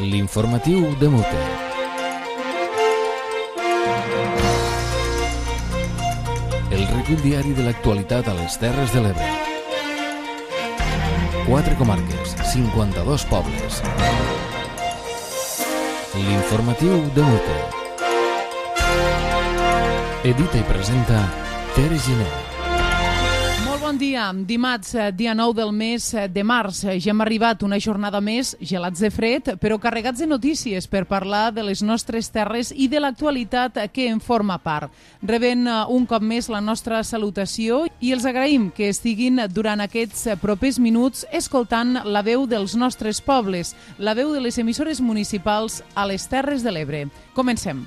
L'informatiu de Mute. El recull diari de l'actualitat a les Terres de l'Ebre. 4 comarques, 52 pobles. L'informatiu de Mute. Edita i presenta Tere Giner. Bon dia, dimarts, dia 9 del mes de març. Ja hem arribat una jornada més, gelats de fred, però carregats de notícies per parlar de les nostres terres i de l'actualitat que en forma part. Rebent un cop més la nostra salutació i els agraïm que estiguin durant aquests propers minuts escoltant la veu dels nostres pobles, la veu de les emissores municipals a les Terres de l'Ebre. Comencem.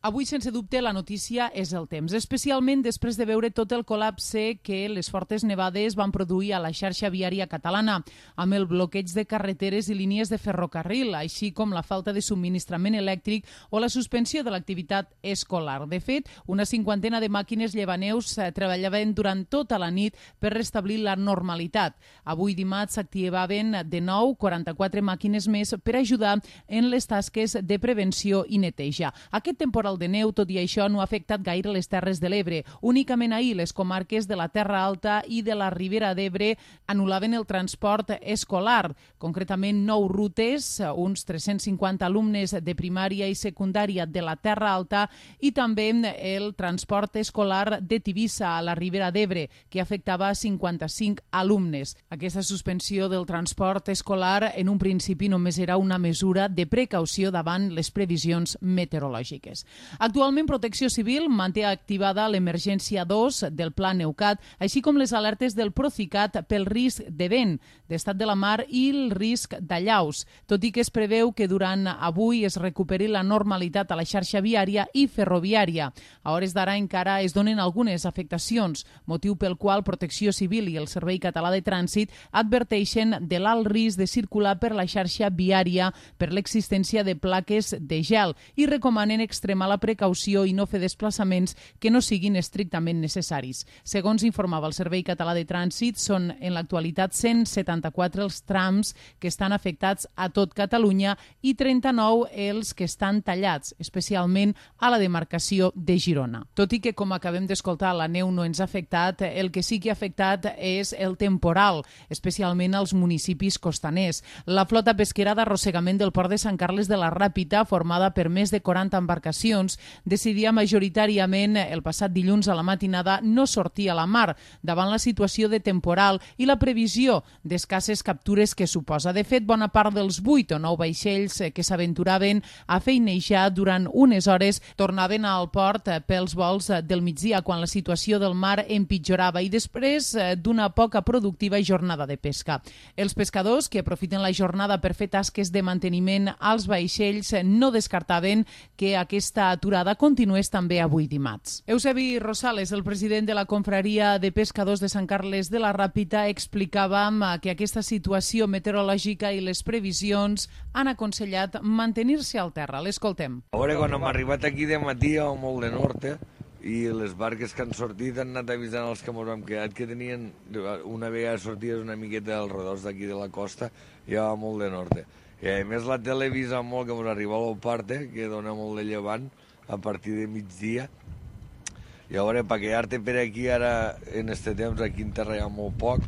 Avui, sense dubte, la notícia és el temps, especialment després de veure tot el col·lapse que les fortes nevades van produir a la xarxa viària catalana, amb el bloqueig de carreteres i línies de ferrocarril, així com la falta de subministrament elèctric o la suspensió de l'activitat escolar. De fet, una cinquantena de màquines llevaneus treballaven durant tota la nit per restablir la normalitat. Avui dimarts s'activaven de nou 44 màquines més per ajudar en les tasques de prevenció i neteja. Aquest temporal de neu, tot i això, no ha afectat gaire les Terres de l'Ebre. Únicament ahir les comarques de la Terra Alta i de la Ribera d'Ebre anul·laven el transport escolar. Concretament, 9 rutes, uns 350 alumnes de primària i secundària de la Terra Alta i també el transport escolar de Tivissa a la Ribera d'Ebre, que afectava 55 alumnes. Aquesta suspensió del transport escolar en un principi només era una mesura de precaució davant les previsions meteorològiques. Actualment, Protecció Civil manté activada l'emergència 2 del Pla Neucat, així com les alertes del Procicat pel risc de vent, d'estat de la mar i el risc d'allaus, tot i que es preveu que durant avui es recuperi la normalitat a la xarxa viària i ferroviària. A hores d'ara encara es donen algunes afectacions, motiu pel qual Protecció Civil i el Servei Català de Trànsit adverteixen de l'alt risc de circular per la xarxa viària per l'existència de plaques de gel i recomanen extremar la precaució i no fer desplaçaments que no siguin estrictament necessaris. Segons informava el Servei Català de Trànsit, són en l'actualitat 174 els trams que estan afectats a tot Catalunya i 39 els que estan tallats, especialment a la demarcació de Girona. Tot i que, com acabem d'escoltar, la neu no ens ha afectat, el que sí que ha afectat és el temporal, especialment als municipis costaners. La flota pesquera d'arrossegament del port de Sant Carles de la Ràpita, formada per més de 40 embarcacions, decidia majoritàriament el passat dilluns a la matinada no sortir a la mar davant la situació de temporal i la previsió d'escasses captures que suposa. De fet, bona part dels 8 o 9 vaixells que s'aventuraven a feinejar durant unes hores tornaven al port pels vols del migdia quan la situació del mar empitjorava i després d'una poca productiva jornada de pesca. Els pescadors que aprofiten la jornada per fer tasques de manteniment als vaixells no descartaven que aquesta aturada continués també avui dimarts. Eusebi Rosales, el president de la Confraria de Pescadors de Sant Carles de la Ràpita, explicàvem que aquesta situació meteorològica i les previsions han aconsellat mantenir-se al terra. L'escoltem. A veure, quan hem arribat aquí de matí a molt de nord, i les barques que han sortit han anat avisant els que ens hem quedat que tenien, una vegada sortides una miqueta dels redors d'aquí de la costa, ja va molt de nord. I a més la tele avisa molt que ens arriba a l'Oparte, que dona molt de llevant a partir de migdia. I a veure, per quedar-te per aquí ara, en este temps, aquí en terra hi ha molt poc,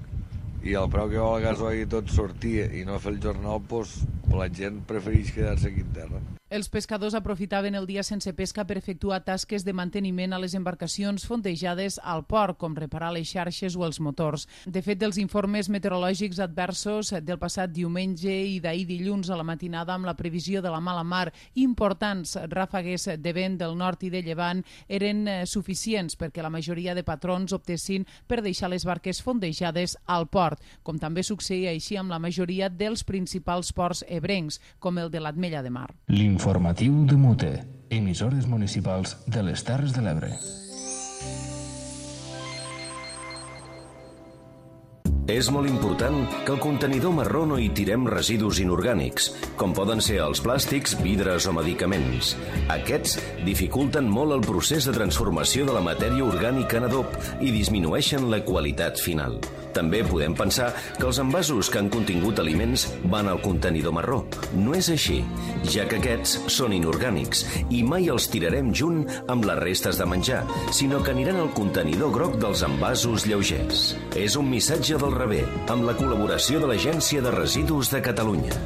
i el preu que val el gasoil i tot sortir i no fer el jornal, doncs la gent prefereix quedar-se aquí en terra. Els pescadors aprofitaven el dia sense pesca per efectuar tasques de manteniment a les embarcacions fondejades al port, com reparar les xarxes o els motors. De fet, els informes meteorològics adversos del passat diumenge i d'ahir dilluns a la matinada amb la previsió de la mala mar i importants ràfegues de vent del nord i de llevant eren suficients perquè la majoria de patrons optessin per deixar les barques fondejades al port, com també succeïa així amb la majoria dels principals ports ebrencs, com el de l'Ametlla de Mar. Informatiu de Mute, emissores municipals de les Terres de l'Ebre. És molt important que al contenidor marró no hi tirem residus inorgànics, com poden ser els plàstics, vidres o medicaments. Aquests dificulten molt el procés de transformació de la matèria orgànica en adob i disminueixen la qualitat final. També podem pensar que els envasos que han contingut aliments van al contenidor marró. No és així, ja que aquests són inorgànics i mai els tirarem junt amb les restes de menjar, sinó que aniran al contenidor groc dels envasos lleugers. És un missatge del Rebé, amb la col·laboració de l'Agència de Residus de Catalunya.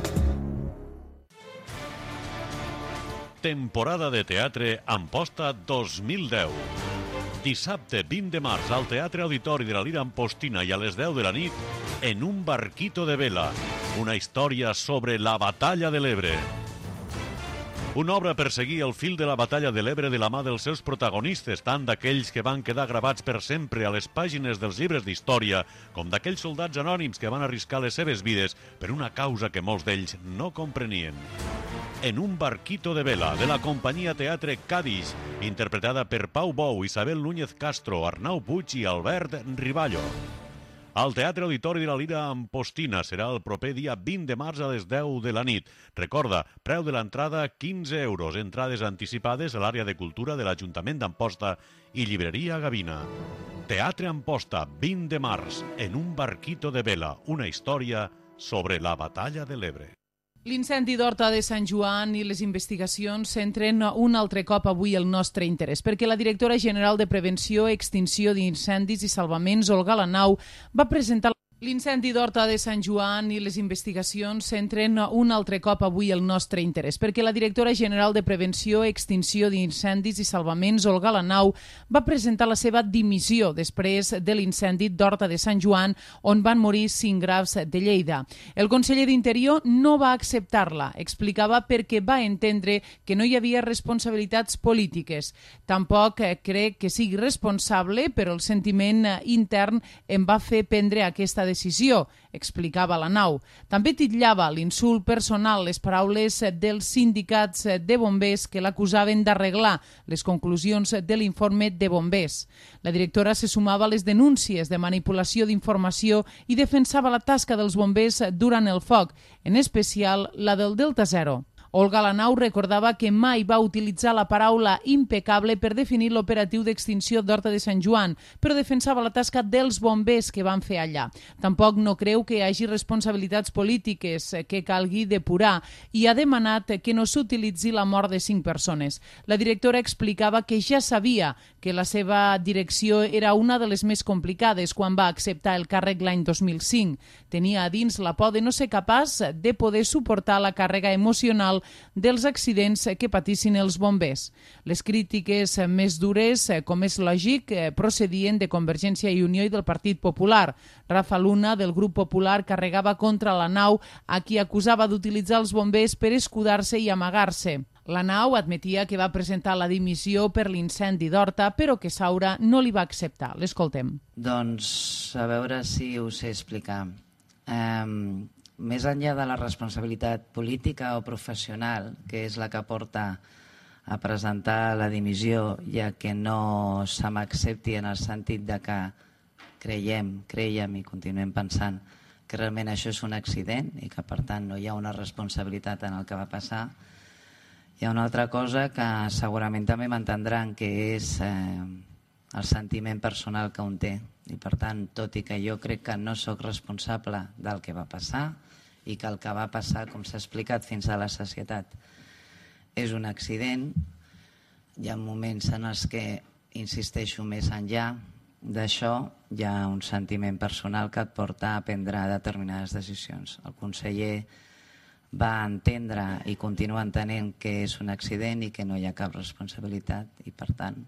Temporada de teatre Amposta 2010. Dissabte 20 de març al Teatre Auditori de la Lira Ampostina i a les 10 de la nit, En un barquito de vela, una història sobre la batalla de l'Ebre. Una obra per seguir el fil de la batalla de l'Ebre de la mà dels seus protagonistes, tant d'aquells que van quedar gravats per sempre a les pàgines dels llibres d'història, com d'aquells soldats anònims que van arriscar les seves vides per una causa que molts d'ells no comprenien. En un barquito de vela, de la companyia Teatre Cádiz, interpretada per Pau Bou, Isabel Núñez Castro, Arnau Puig i Albert Riballo. Al Teatre Auditori de la Lira Ampostina serà el proper dia 20 de març a les 10 de la nit. Recorda, preu de l'entrada 15 euros, entrades anticipades a l'àrea de cultura de l'Ajuntament d'Amposta i llibreria Gavina. Teatre Amposta, 20 de març, En un barquito de vela, una història sobre la batalla de l'Ebre. L'incendi d'Horta de Sant Joan i les investigacions centren un altre cop avui el nostre interès, perquè la directora general de Prevenció, Extinció d'Incendis i Salvaments, Olga Lanau, va presentar l'incendi d'Horta de Sant Joan i les investigacions centren un altre cop avui el nostre interès, perquè la directora general de Prevenció, Extinció d'Incendis i Salvaments, Olga Lanau, va presentar la seva dimissió després de l'incendi d'Horta de Sant Joan, on van morir 5 grafs de Lleida. El conseller d'Interior no va acceptar-la, explicava perquè va entendre que no hi havia responsabilitats polítiques. Tampoc crec que sigui responsable, però el sentiment intern em va fer prendre aquesta decisió, explicava Lanau. També titllava l'insult personal les paraules dels sindicats de bombers que l'acusaven d'arreglar les conclusions de l'informe de bombers. La directora se sumava a les denúncies de manipulació d'informació i defensava la tasca dels bombers durant el foc, en especial la del Delta Zero. Olga Lanau recordava que mai va utilitzar la paraula impecable per definir l'operatiu d'extinció d'Horta de Sant Joan, però defensava la tasca dels bombers que van fer allà. Tampoc no creu que hi hagi responsabilitats polítiques que calgui depurar i ha demanat que no s'utilitzi la mort de 5 persones. La directora explicava que ja sabia que la seva direcció era una de les més complicades quan va acceptar el càrrec l'any 2005. Tenia a dins la por de no ser capaç de poder suportar la càrrega emocional dels accidents que patissin els bombers. Les crítiques més dures, com és lògic, procedien de Convergència i Unió i del Partit Popular. Rafa Luna, del Grup Popular, carregava contra Lanau, a qui acusava d'utilitzar els bombers per escudar-se i amagar-se. Lanau admetia que va presentar la dimissió per l'incendi d'Horta, però que Saura no li va acceptar. L'escoltem. Doncs a veure si ho sé explicar. Més enllà de la responsabilitat política o professional, que és la que porta a presentar la dimissió, ja que no se m'accepti en el sentit de que creiem i continuem pensant que realment això és un accident i que per tant no hi ha una responsabilitat en el que va passar, hi ha una altra cosa que segurament també m'entendran, que és el sentiment personal que un té. I per tant, tot i que jo crec que no sóc responsable del que va passar i que el que va passar, com s'ha explicat fins a la sacietat, és un accident, hi ha moments en els que, insisteixo, més enllà d'això, hi ha un sentiment personal que et porta a prendre determinades decisions. El conseller va entendre i continua entenent que és un accident i que no hi ha cap responsabilitat i, per tant,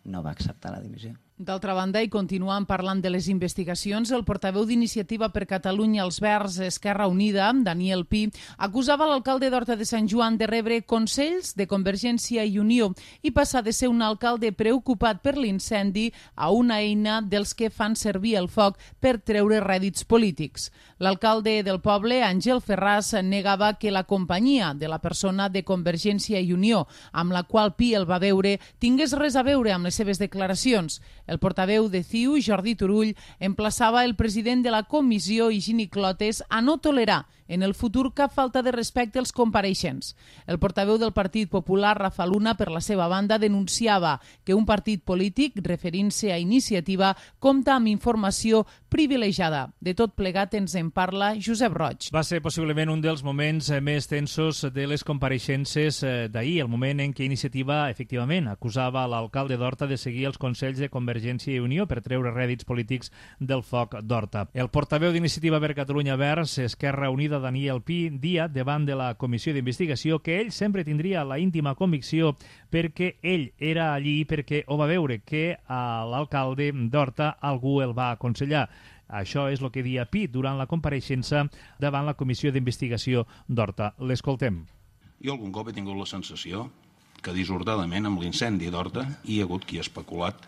no va acceptar la dimissió. D'altra banda, i continuant parlant de les investigacions, el portaveu d'Iniciativa per Catalunya als Verds Esquerra Unida, Daniel Pi, acusava l'alcalde d'Horta de Sant Joan de rebre consells de Convergència i Unió i passar de ser un alcalde preocupat per l'incendi a una eina dels que fan servir el foc per treure rèdits polítics. L'alcalde del poble, Àngel Ferràs, negava que la companyia de la persona de Convergència i Unió, amb la qual Pi el va veure, tingués res a veure amb les seves declaracions. El portaveu de CiU, Jordi Turull, emplaçava el president de la comissió, Higini Clotes, a no tolerar en el futur cap falta de respecte als compareixents. El portaveu del Partit Popular, Rafa Luna, per la seva banda, denunciava que un partit polític, referint-se a Iniciativa, compta amb informació privilegiada. De tot plegat ens en parla Josep Roig. Va ser possiblement un dels moments més tensos de les compareixences d'ahir, el moment en què Iniciativa, efectivament, acusava l'alcalde d'Horta de seguir els consells de Convergència i Unió per treure rèdits polítics del foc d'Horta. El portaveu d'Iniciativa per Catalunya Verds, Esquerra Unida, Daniel Pi, dia davant de la comissió d'investigació que ell sempre tindria la íntima convicció perquè ell era allí perquè ho va veure que a l'alcalde d'Horta algú el va aconsellar. Això és el que dia Pi durant la compareixença davant la comissió d'investigació d'Horta. L'escoltem. Jo algun cop he tingut la sensació que dissortadament amb l'incendi d'Horta hi ha hagut qui ha especulat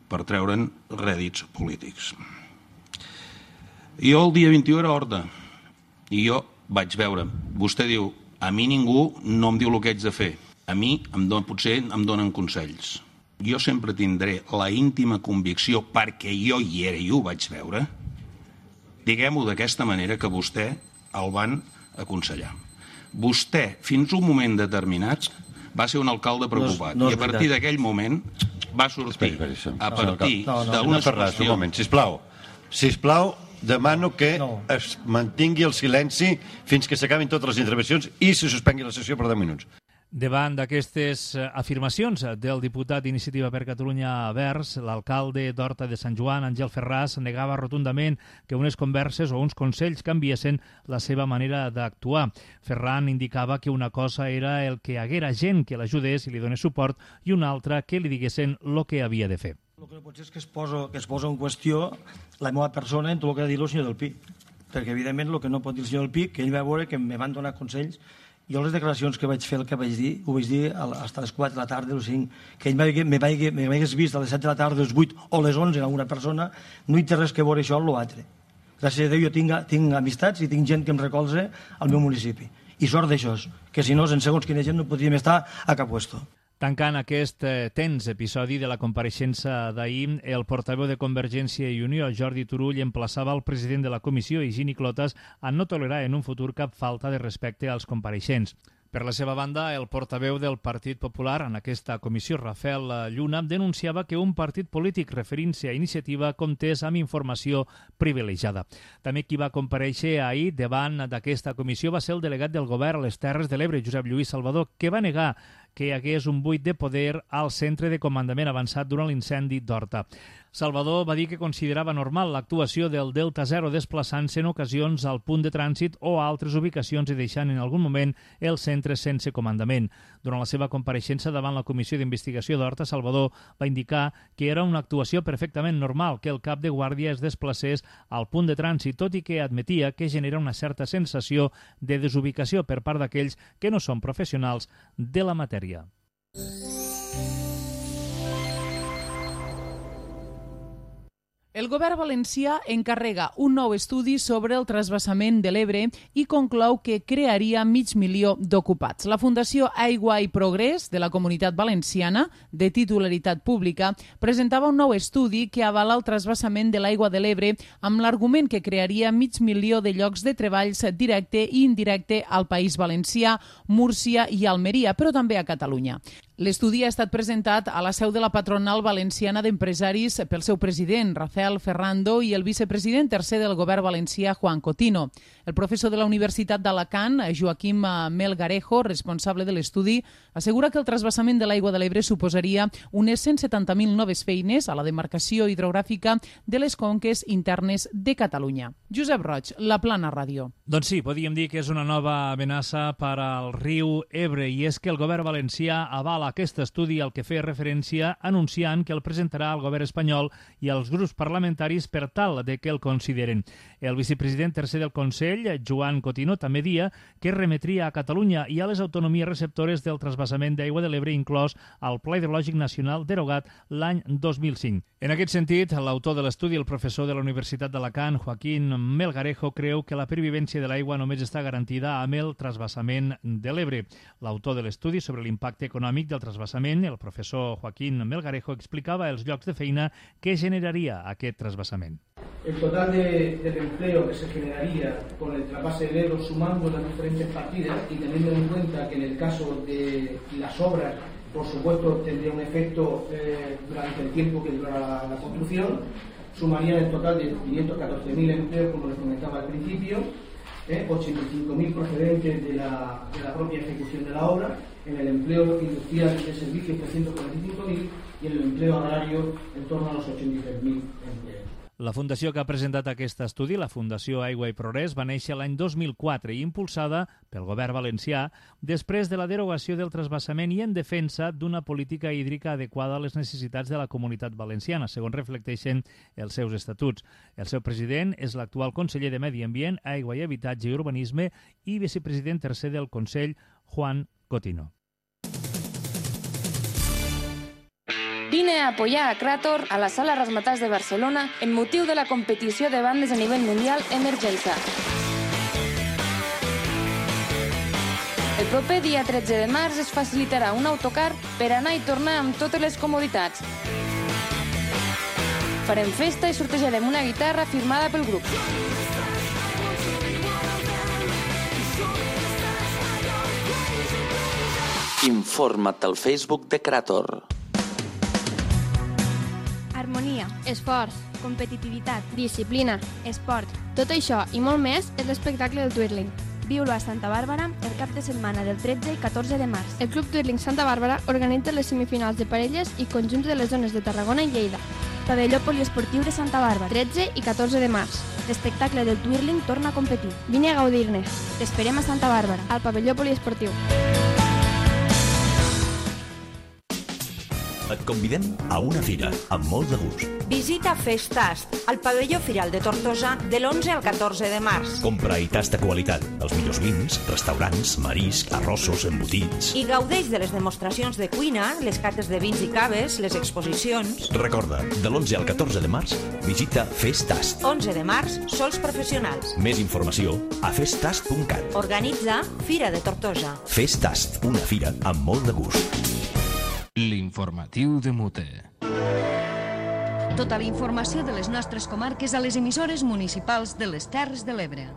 per treure'n rèdits polítics. Jo el dia 21 era a Horta i jo vaig veure, vostè diu, a mi ningú no em diu el que haig de fer, a mi potser em donen consells. Jo sempre tindré la íntima convicció, perquè jo hi era i ho vaig veure, diguem-ho d'aquesta manera, que vostè el van aconsellar. Vostè, fins a un moment determinat, va ser un alcalde preocupat. I a partir d'aquell moment va sortir a partir d'una situació... Un moment, sisplau, demano que es mantingui el silenci fins que s'acabin totes les intervencions i se suspengui la sessió per 10 minuts. Davant d'aquestes afirmacions del diputat d'Iniciativa per Catalunya Verds, l'alcalde d'Horta de Sant Joan, Àngel Ferràs, negava rotundament que unes converses o uns consells canviessin la seva manera d'actuar. Ferran indicava que una cosa era el que haguera gent que l'ajudés i li donés suport i una altra que li diguessin el que havia de fer. El que no pot ser és que es posa en qüestió la meva persona en tot el que ha dit el senyor del Pi, perquè evidentment el que no pot dir el senyor del Pi, que ell va veure que me van donar consells. Jo les declaracions que vaig fer, el que vaig dir, ho vaig dir fins a les 4 de la tarda o 5, que ell m'hagués vist a les 7 de la tarda, les 8 o les 11 en alguna persona, no hi té res que veure això amb l'altre. Gràcies a Déu jo tinc amistats i tinc gent que em recolza al meu municipi. I sort d'això, que si no, en segons quina gent no podríem estar a cap puesto. Tancant aquest tens episodi de la compareixença d'ahir, el portaveu de Convergència i Unió, Jordi Turull, emplaçava el president de la comissió, Higini Clotas, a no tolerar en un futur cap falta de respecte als compareixents. Per la seva banda, el portaveu del Partit Popular en aquesta comissió, Rafael Lluna, denunciava que un partit polític referint-se a Iniciativa comptés amb informació privilegiada. També qui va comparèixer ahir davant d'aquesta comissió va ser el delegat del govern a les Terres de l'Ebre, Josep Lluís Salvador, que va negar que hi hagués un buit de poder al centre de comandament avançat durant l'incendi d'Horta. Salvador va dir que considerava normal l'actuació del Delta Zero desplaçant-se en ocasions al punt de trànsit o a altres ubicacions i deixant en algun moment el centre sense comandament. Durant la seva compareixença davant la Comissió d'Investigació d'Horta, Salvador va indicar que era una actuació perfectament normal que el cap de guàrdia es desplacés al punt de trànsit, tot i que admetia que genera una certa sensació de desubicació per part d'aquells que no són professionals de la matèria. El govern valencià encarrega un nou estudi sobre el transvasament de l'Ebre i conclou que crearia 500.000 d'ocupats. La Fundació Aigua i Progrés de la Comunitat Valenciana, de titularitat pública, presentava un nou estudi que avala el transvasament de l'aigua de l'Ebre amb l'argument que crearia 500.000 de llocs de treballs directe i indirecte al País Valencià, Múrcia i Almeria, però també a Catalunya. L'estudi ha estat presentat a la seu de la patronal valenciana d'empresaris pel seu president, Rafael Ferrando, i el vicepresident tercer del govern valencià, Juan Cotino. El professor de la Universitat d'Alacant, Joaquim Melgarejo, responsable de l'estudi, assegura que el transvasament de l'aigua de l'Ebre suposaria unes 170.000 noves feines a la demarcació hidrogràfica de les conques internes de Catalunya. Josep Roig, La Plana Ràdio. Doncs sí, podríem dir que és una nova amenaça per al riu Ebre, i és que el govern valencià avala aquest estudi al que feia referència anunciant que el presentarà al govern espanyol i als grups parlamentaris per tal de que el consideren. El vicepresident tercer del Consell, Joan Cotino, també dia que remetria a Catalunya i a les autonomies receptores del transvasament d'aigua de l'Ebre inclòs al Pla Hidrològic Nacional derogat l'any 2005. En aquest sentit, l'autor de l'estudi, el professor de la Universitat d'Alacant, Joaquín Melgarejo, creu que la pervivència de l'aigua només està garantida amb el transvasament de l'Ebre. L'autor de l'estudi sobre l'impacte econòmic del transvasament, el professor Joaquín Melgarejo, explicava els llocs de feina que generaria aquest transvasament. El total del empleo que se generaría con el trasvase del Ebro, sumando las diferentes partidas y teniendo en cuenta que en el caso de las obras, por supuesto, tendría un efecto durante el tiempo que dura la construcción, sumaría el total de 514.000 empleos, como les comentaba al principio, 85.000 procedentes de la propia ejecución de la obra, en el empleo industrial de servicios 345.000 y en el empleo agrario en torno a los 83.000 empleos. La fundació que ha presentat aquest estudi, la Fundació Aigua i Progrés, va néixer l'any 2004 i impulsada pel govern valencià després de la derogació del transvasament i en defensa d'una política hídrica adequada a les necessitats de la comunitat valenciana, segons reflecteixen els seus estatuts. El seu president és l'actual conseller de Medi Ambient, Aigua i Habitatge i Urbanisme i vicepresident tercer del Consell, Juan Cotino. Vine a apoyar a Crator a la Sala Razzmatazz de Barcelona en motiu de la competició de bandes a nivell mundial Emergenza. El proper dia 13 de març es facilitarà un autocar per anar i tornar amb totes les comoditats. Farem festa i sortejarem una guitarra firmada pel grup. Informa't al Facebook de Crator. Harmonia, esforç, competitivitat, disciplina, esport. Tot això i molt més és l'espectacle del Twirling. Viu-lo a Santa Bàrbara el cap de setmana del 13 i 14 de març. El Club Twirling Santa Bàrbara organitza les semifinals de parelles i conjunts de les zones de Tarragona i Lleida. Pavelló Poliesportiu de Santa Bàrbara, 13 i 14 de març. L'espectacle del Twirling torna a competir. Vine a gaudir-ne. T'esperem a Santa Bàrbara, al Pavelló Poliesportiu. Et convidem a una fira amb molt de gust. Visita Festast, al pavelló Firal de Tortosa, de l'11 al 14 de març. Compra i tasta qualitat, els millors vins, restaurants, marisc, arrossos, embotits. I gaudeix de les demostracions de cuina, les cates de vins i caves, les exposicions. Recorda, de l'11 al 14 de març, visita Festast. 11 de març, sols professionals. Més informació a festast.cat. Organitza Fira de Tortosa. Festast, una fira amb molt de gust. L'informatiu de Mute. Tota la informació de les nostres comarques a les emissores municipals de les Terres de l'Ebre.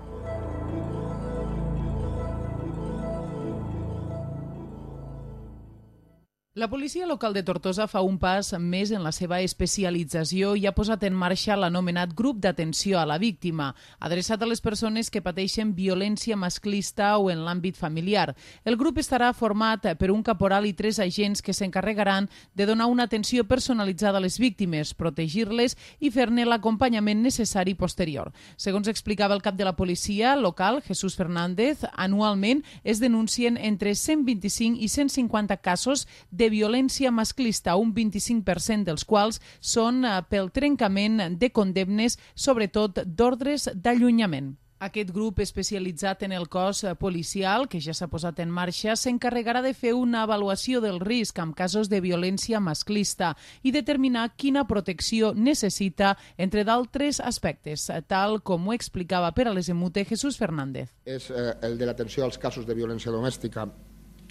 La policia local de Tortosa fa un pas més en la seva especialització i ha posat en marxa l'anomenat grup d'atenció a la víctima, adreçat a les persones que pateixen violència masclista o en l'àmbit familiar. El grup estarà format per un caporal i 3 agents que s'encarregaran de donar una atenció personalitzada a les víctimes, protegir-les i fer-ne l'acompanyament necessari posterior. Segons explicava el cap de la policia local, Jesús Fernández, anualment es denuncien entre 125 i 150 casos de violència masclista, un 25% dels quals són pel trencament de condemnes, sobretot d'ordres d'allunyament. Aquest grup especialitzat en el cos policial, que ja s'ha posat en marxa, s'encarregarà de fer una avaluació del risc en casos de violència masclista i determinar quina protecció necessita, entre d'altres aspectes, tal com ho explicava per a les Emute Jesús Fernández. És el de l'atenció als casos de violència domèstica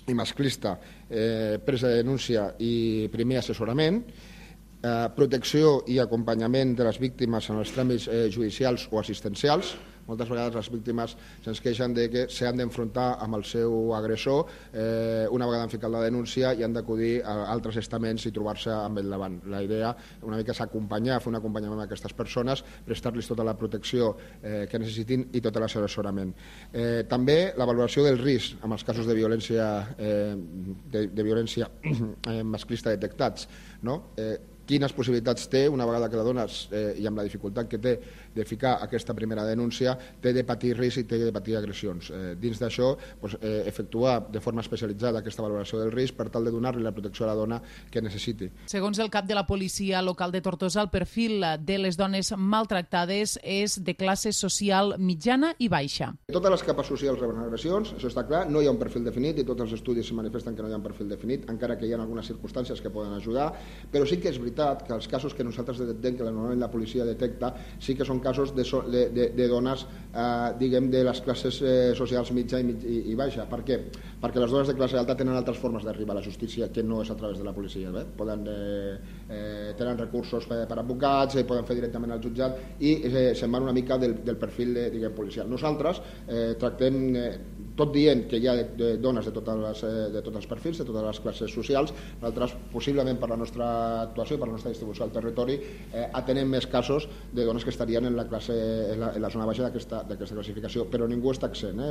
i masclista, presa de denúncia i primer assessorament, protecció i acompanyament de les víctimes en els tràmits judicials o assistencials. Moltes vegades les víctimes se'ns queixen de que s'han d'enfrontar amb el seu agressor una vegada han ficat la denúncia i han d'acudir a altres estaments i trobar-se amb ell davant. La idea una mica és acompanyar, fer un acompanyament a aquestes persones, prestar-los tota la protecció que necessitin i tot l'assessorament. També la valoració del risc en els casos de violència masclista detectats, no? Quines possibilitats té, una vegada que la dones i amb la dificultat que té de ficar aquesta primera denúncia, té de patir risc i té de patir agressions. Dins d'això, efectuar de forma especialitzada aquesta valoració del risc per tal de donar-li la protecció a la dona que necessiti. Segons el cap de la policia local de Tortosa, el perfil de les dones maltractades és de classe social mitjana i baixa. Totes les capes socials reben agressions, això està clar, no hi ha un perfil definit i tots els estudis manifesten que no hi ha un perfil definit, encara que hi ha algunes circumstàncies que poden ajudar, però sí que és veritat veritat que els casos que nosaltres detectem, que normalment la policia detecta, sí que són casos de dones, diguem, de les classes socials mitja i baixa. Per què? Perquè les dones de classe alta tenen altres formes d'arribar a la justícia que no és a través de la policia. Tenen recursos per advocats, poden fer directament al jutjat i se'n van una mica del perfil policial. Nosaltres tractem, tot dient que hi ha dones de tots els perfils, de totes les classes socials, nosaltres, possiblement per la nostra actuació i per la nostra distribució al territori, atenem més casos de dones que estarien en la zona baixa d'aquesta classificació, però ningú està exempt.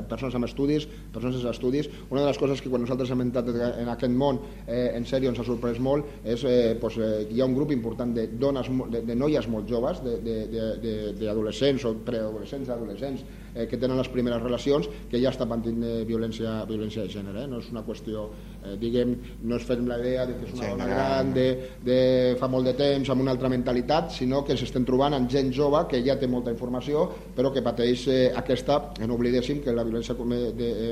Persones amb estudis, persones sense estudis. Una de les coses que quan nosaltres hem entrat en aquest món, en sèrio, ens ha sorprès molt, és que hi ha un grup important de dones, de noies molt joves, d'adolescents o preadolescents, adolescents, que tenen les primeres relacions, que ja estan patint violència de gènere. No és una qüestió, diguem, no es fem la idea que és una dona gran de fa molt de temps amb una altra mentalitat, sinó que s'estem trobant amb gent jove que ja té molta informació però que pateix aquesta, no oblidéssim que la violència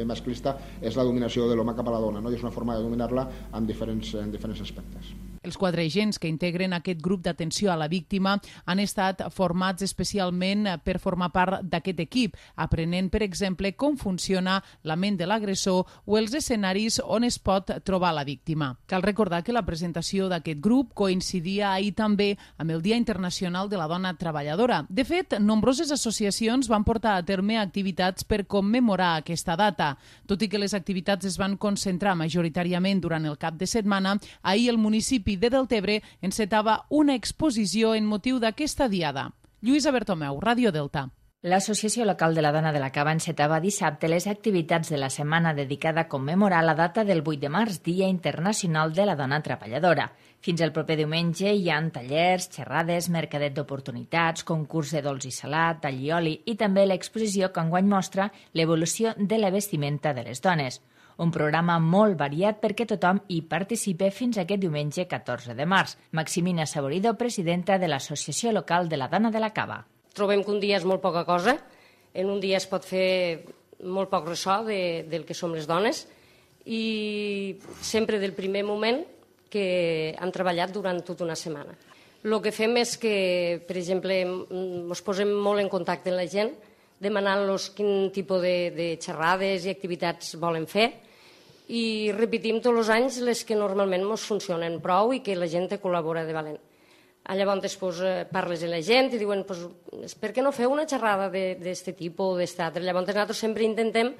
masclista és la dominació de l'home cap a la dona, no? I és una forma de dominar-la en diferents aspectes. Els 4 agents que integren aquest grup d'atenció a la víctima han estat formats especialment per formar part d'aquest equip, aprenent, per exemple, com funciona la ment de l'agressor o els escenaris on es pot trobar la víctima. Cal recordar que la presentació d'aquest grup coincidia ahir també amb el Dia Internacional de la Dona Treballadora. De fet, nombroses associacions van portar a terme activitats per commemorar aquesta data. Tot i que les activitats es van concentrar majoritàriament durant el cap de setmana, ahir el municipi de Deltebre encetava una exposició en motiu d'aquesta diada. Lluïsa Bertomeu, Ràdio Delta. L'Associació Local de la Dona de la Cava encetava dissabte les activitats de la setmana dedicada a commemorar la data del 8 de març, Dia Internacional de la Dona Treballadora. Fins al proper diumenge hi ha tallers, xerrades, mercadet d'oportunitats, concurs de dolç i salat, allioli i també l'exposició que enguany mostra l'evolució de la vestimenta de les dones. Un programa molt variat perquè tothom hi participa fins aquest diumenge 14 de març. Maximina Saborido, presidenta de l'Associació Local de la Dona de la Cava. Trobem que un dia és molt poca cosa, en un dia es pot fer molt poc ressò del que som les dones i sempre del primer moment que hem treballat durant tota una setmana. El que fem és que, per exemple, ens posem molt en contacte amb la gent, demanant-los quin tipus de xerrades i activitats volen fer i repetim tots els anys les que normalment ens funcionen prou i que la gent col·labora de valent. Llavors parles amb la gent i diuen per què no feu una xerrada d'aquest tipus o d'aquest altre? Llavors nosaltres sempre intentem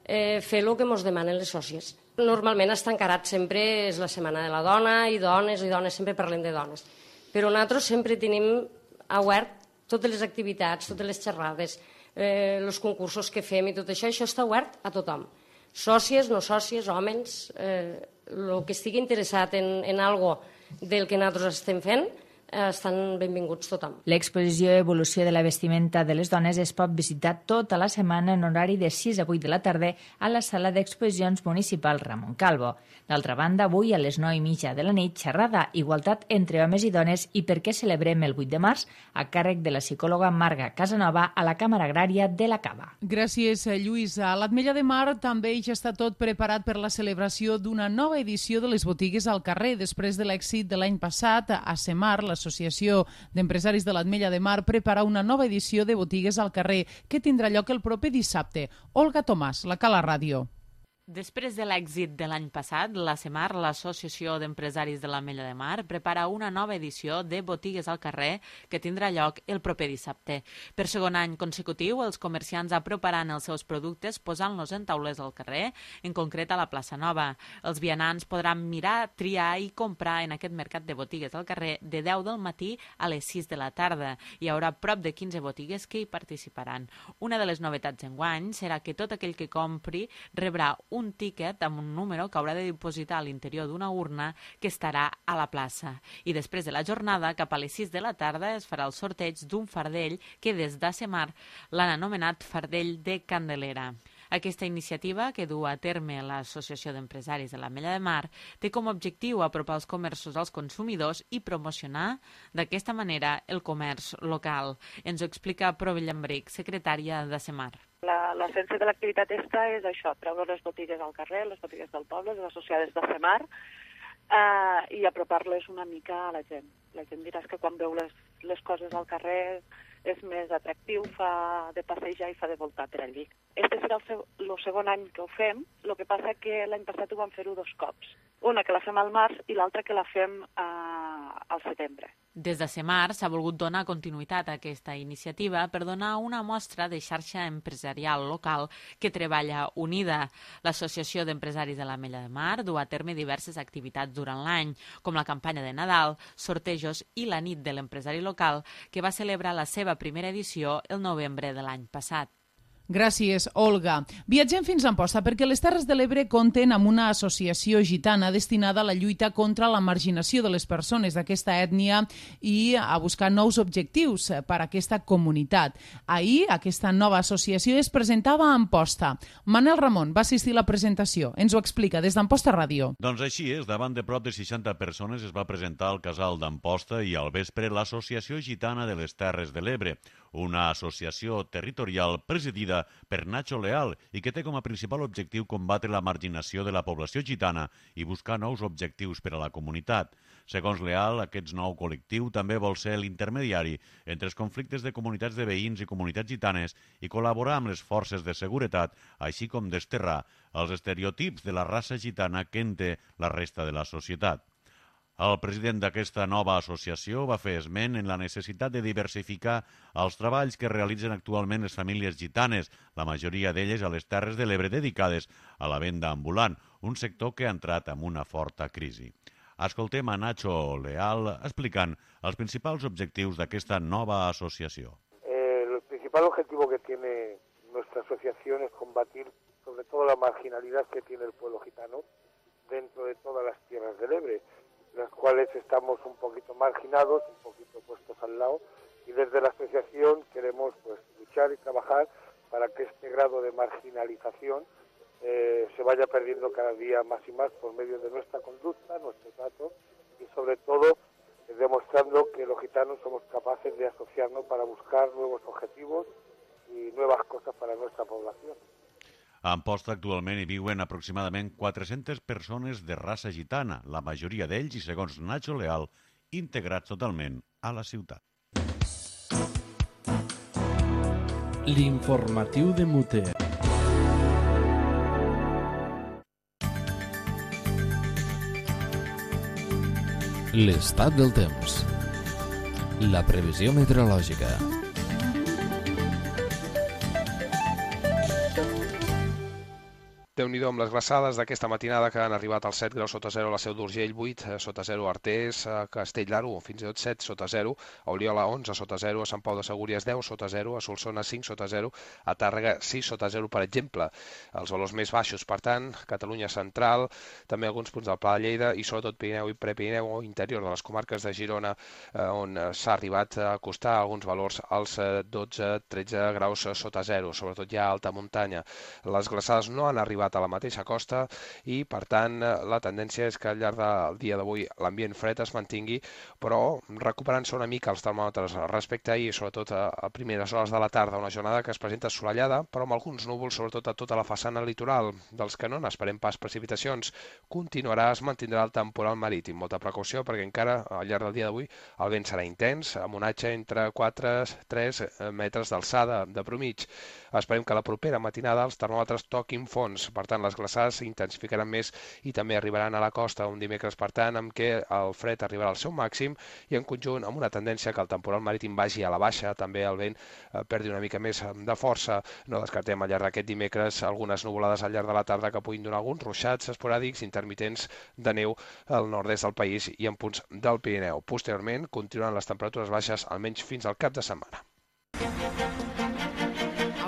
fer el que ens demanen les sòcies. Normalment està encarat sempre és la Setmana de la Dona i dones sempre parlem de dones. Però nosaltres sempre tenim obert totes les activitats, totes les xerrades, els concursos que fem i tot això està obert a tothom. Sòcies, no sòcies, homes, el que estigui interessat en algo del que nosaltres estem fent, estan benvinguts tothom. L'exposició Evolució de la vestimenta de les dones es pot visitar tota la setmana en horari de 6 a 8 de la tarda a la sala d'exposicions municipal Ramon Calvo. D'altra banda, avui a les 9:30 de la nit, xerrada Igualtat entre homes i dones i per què celebrem el 8 de març a càrrec de la psicòloga Marga Casanova a la Càmera Agrària de la Cava. Gràcies, Lluïsa. A l'Ametlla de Mar també ja està tot preparat per la celebració d'una nova edició de les botigues al carrer. Després de l'èxit de l'any passat, a Semar, l'Associació d'Empresaris de l'Ametlla de Mar prepara una nova edició de botigues al carrer que tindrà lloc el proper dissabte. Olga Tomàs, la Cala Ràdio. Després de l'èxit de l'any passat, la CEMAR, l'Associació d'Empresaris de l'Ametlla de Mar, prepara una nova edició de botigues al carrer que tindrà lloc el proper dissabte. Per segon any consecutiu, els comerciants aproparan els seus productes posant-los en taules al carrer, en concret a la plaça Nova. Els vianants podran mirar, triar i comprar en aquest mercat de botigues al carrer de 10 del matí a les 6 de la tarda. Hi haurà prop de 15 botigues que hi participaran. Una de les novetats enguany serà que tot aquell que compri rebrà un tiquet amb un número que haurà de dipositar a l'interior d'una urna que estarà a la plaça. I després de la jornada, cap a les 6 de la tarda, es farà el sorteig d'un fardell que des d'Asemar l'han anomenat Fardell de Candelera. Aquesta iniciativa, que du a terme l'Associació d'Empresaris de l'Ametlla de Mar, té com a objectiu apropar els comerços als consumidors i promocionar d'aquesta manera el comerç local. Ens ho explica Provi Llambric, secretària d'Asemar. L'essència de l'activitat és això, treure les botigues al carrer, les botigues del poble, les associades d'Asemar, i apropar-les una mica a la gent. La gent dirà que quan veu les coses al carrer és més atractiu, fa de passejar i fa de voltar per allí. Este serà el segon any que ho fem, el que passa que l'any passat ho vam fer-ho 2 cops. Una que la fem al març i l'altra que la fem al setembre. Des de Semar s'ha volgut donar continuïtat a aquesta iniciativa per donar una mostra de xarxa empresarial local que treballa unida. L'Associació d'Empresaris de l'Ametlla de Mar du a terme diverses activitats durant l'any, com la campanya de Nadal, sortejos i la nit de l'empresari local, que va celebrar la seva primera edició el novembre de l'any passat. Gràcies, Olga. Viatgem fins a Amposta perquè les Terres de l'Ebre compten amb una associació gitana destinada a la lluita contra la marginació de les persones d'aquesta ètnia i a buscar nous objectius per a aquesta comunitat. Ahir, aquesta nova associació es presentava a Amposta. Manel Ramon va assistir a la presentació. Ens ho explica des d'Amposta Ràdio. Doncs així és, davant de prop de 60 persones es va presentar al casal d'Amposta i al vespre l'Associació Gitana de les Terres de l'Ebre, una associació territorial presidida per Nacho Leal i que té com a principal objectiu combatre la marginació de la població gitana i buscar nous objectius per a la comunitat. Segons Leal, aquest nou col·lectiu també vol ser l'intermediari entre els conflictes de comunitats de veïns i comunitats gitanes i col·laborar amb les forces de seguretat, així com desterrar els estereotips de la raça gitana que en té la resta de la societat. El president d'aquesta nova associació va fer esment en la necessitat de diversificar els treballs que realitzen actualment les famílies gitanes, la majoria d'elles a les Terres de l'Ebre dedicades a la venda ambulant, un sector que ha entrat en una forta crisi. Escoltem a Nacho Leal explicant els principals objectius d'aquesta nova asociació. El principal objetivo que tiene nuestra asociación es combatir sobre todo la marginalidad que tiene el pueblo gitano dentro de todas las tierras del Ebre, las cuales estamos un poquito marginados, un poquito puestos al lado, y desde la asociación queremos luchar y trabajar para que este grado de marginalización se vaya perdiendo cada día más y más por medio de nuestra conducta, nuestro trato, y sobre todo demostrando que los gitanos somos capaces de asociarnos para buscar nuevos objetivos y nuevas cosas para nuestra población. A Amposta actualment hi viuen aproximadament 400 persones de raça gitana, la majoria d'ells, i segons Nacho Leal, integrats totalment a la ciutat. L'informatiu de Muter. L'estat del temps. La previsió meteorològica. Déu-n'hi-do amb les glaçades d'aquesta matinada que han arribat als 7 graus sota 0 a la Seu d'Urgell, 8 sota 0 a Artés, a Castell d'Aro, fins i tot 7 sota 0, a Oliola 11 sota 0, a Sant Pau de Segúries 10 sota 0, a Solsona 5 sota 0, a Tàrrega 6 sota 0, per exemple. Els valors més baixos, per tant, Catalunya central, també alguns punts del Pla de Lleida i sobretot Pirineu i Prepirineu o interior de les comarques de Girona, on s'ha arribat a acostar alguns valors als 12-13 graus sota 0, sobretot ja a alta muntanya. Les glaçades no han arribat a la mateixa costa i, per tant, la tendència és que al llarg del dia d'avui l'ambient fred es mantingui, però recuperant-se una mica els termòmetres respecte a ahir, sobretot a primeres hores de la tarda, una jornada que es presenta assolellada, però amb alguns núvols, sobretot a tota la façana litoral, dels que no n'esperem pas precipitacions. Continuarà, es mantindrà el temporal marítim. Molta precaució perquè encara al llarg del dia d'avui el vent serà intens, amb un onatge entre 4 i 3 metres d'alçada de promig. Esperem que la propera matinada els termòmetres toquin fons, per tant les glaçades s'intensificaran més i també arribaran a la costa un dimecres, per tant, amb què el fred arribarà al seu màxim i en conjunt amb una tendència que el temporal marítim vagi a la baixa, també el vent perdi una mica més de força. No descartem al llarg d'aquest dimecres algunes nuvolades al llarg de la tarda que puguin donar alguns ruixats esporàdics intermitents de neu al nord-est del país i en punts del Pirineu. Posteriorment continuaran les temperatures baixes almenys fins al cap de setmana.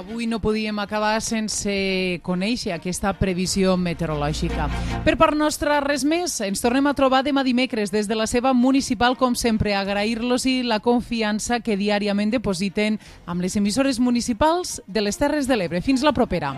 Avui no podíem acabar sense conèixer aquesta previsió meteorològica. Per part nostra, res més. Ens tornem a trobar demà dimecres des de la seva municipal, com sempre, agrair-los la confiança que diàriament depositen amb les emissores municipals de les Terres de l'Ebre. Fins la propera.